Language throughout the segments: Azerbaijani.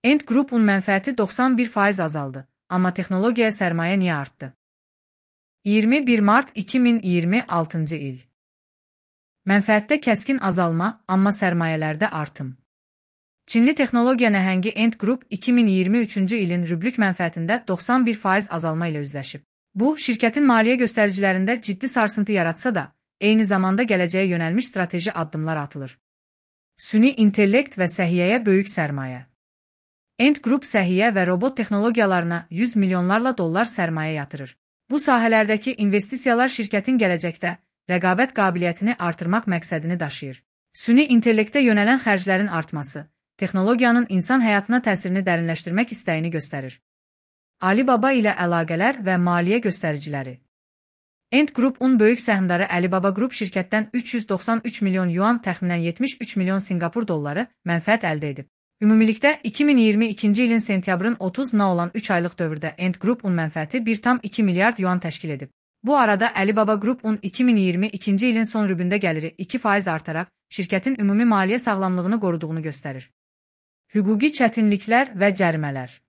Ant Group'un mənfəəti 91% azaldı, amma texnologiyaya sərmayə niyə artdı? 21 mart 2026-cı il. Mənfəətdə kəskin azalma, amma sərmayələrdə artım. Çinli texnologiya nəhəngi Ant Group 2023-cü ilin rüblük mənfəətində 91% azalma ilə üzləşib. Bu, şirkətin maliyyə göstəricilərində ciddi sarsıntı yaratsa da, eyni zamanda gələcəyə yönəlmiş strateji addımlar atılır. Süni intellekt və səhiyyəyə böyük sərmayə. Ant Group səhiyyə və robot texnologiyalarına 100 milyonlarla dollar sərmayə yatırır. Bu sahələrdəki investisiyalar şirkətin gələcəkdə rəqabət qabiliyyətini artırmaq məqsədini daşıyır. Süni intellektə yönələn xərclərin artması, texnologiyanın insan həyatına təsirini dərinləşdirmək istəyini göstərir. Alibaba ilə əlaqələr və maliyyə göstəriciləri. Ant Group'un böyük səhmdarı Alibaba Group şirkətdən 393 milyon yuan, təxminən 73 milyon Sinqapur dolları mənfəət əldə edib. Ümumilikdə 2022-ci ilin sentyabrın 30-na olan 3 aylıq dövrdə Ant Group'un mənfəəti 1,2 milyard yuan təşkil edib. Bu arada Alibaba Group'un 2022-ci ilin son rübündə gəliri 2% artaraq şirkətin ümumi maliyyə sağlamlığını qoruduğunu göstərir. Hüquqi çətinliklər və cərimələr.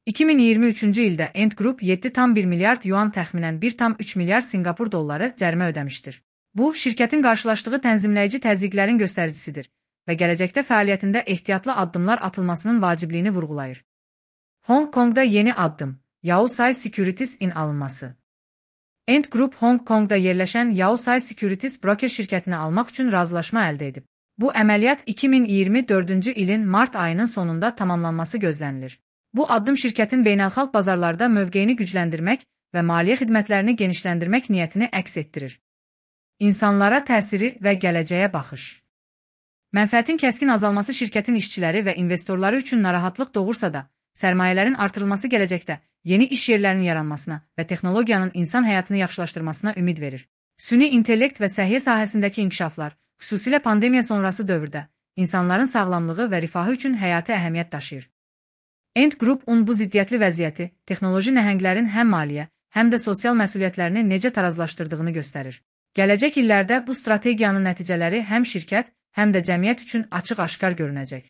2023-cü ildə Ant Group 7,1 milyard yuan, təxminən 1,3 milyard Sinqapur dolları cərimə ödəmişdir. Bu, şirkətin qarşılaşdığı tənzimləyici təzyiqlərin göstəricisidir və gələcəkdə fəaliyyətində ehtiyatlı addımlar atılmasının vacibliyini vurğulayır. Hong Kongda yeni addım, Yaosai Securities'in alınması. Ant Group Hong Kongda yerləşən Yaosai Securities broker şirkətini almaq üçün razılaşma əldə edib. Bu əməliyyat 2024-cü ilin mart ayının sonunda tamamlanması gözlənilir. Bu addım şirkətin beynəlxalq bazarlarda mövqeyini gücləndirmək və maliyyə xidmətlərini genişləndirmək niyyətini əks etdirir. İnsanlara təsiri və gələcəyə baxış. Mənfəətin kəskin azalması şirkətin işçiləri və investorları üçün narahatlıq doğursa da, sərmayələrin artırılması gələcəkdə yeni iş yerlərinin yaranmasına və texnologiyanın insan həyatını yaxşılaşdırmasına ümid verir. Süni intellekt və səhiyyə sahəsindəki inkişaflar, xüsusilə pandemiya sonrası dövrdə, insanların sağlamlığı və rifahı üçün həyati əhəmiyyət daşıyır. Ant Group'un bu ziddiyyətli vəziyyəti, texnoloji nəhənglərin həm maliyyə, həm də sosial məsuliyyətlərini necə tarazlaşdırdığını göstərir. Gələcək illərdə bu strategiyanın nəticələri həm şirkət, həm də cəmiyyət üçün açıq-aşkar görünəcək.